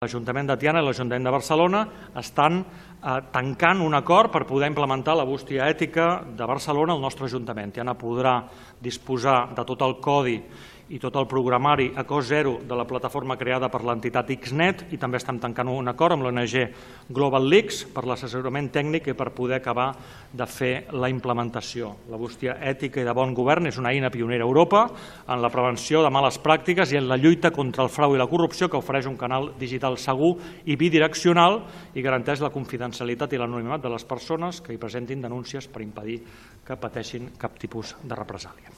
L'Ajuntament de Tiana i l'Ajuntament de Barcelona estan tancant un acord per poder implementar la bústia ètica de Barcelona al nostre Ajuntament. Tiana podrà disposar de tot el codi i tot el programari a cost zero de la plataforma creada per l'entitat XNet i també estem tancant un acord amb l'ONG Global Leaks per l'assessorament tècnic i per poder acabar de fer la implementació. La bústia ètica i de bon govern és una eina pionera a Europa en la prevenció de males pràctiques i en la lluita contra el frau i la corrupció que ofereix un canal digital segur i bidireccional i garanteix la confidencialitat i l'anonimat de les persones que hi presentin denúncies per impedir que pateixin cap tipus de represàlia.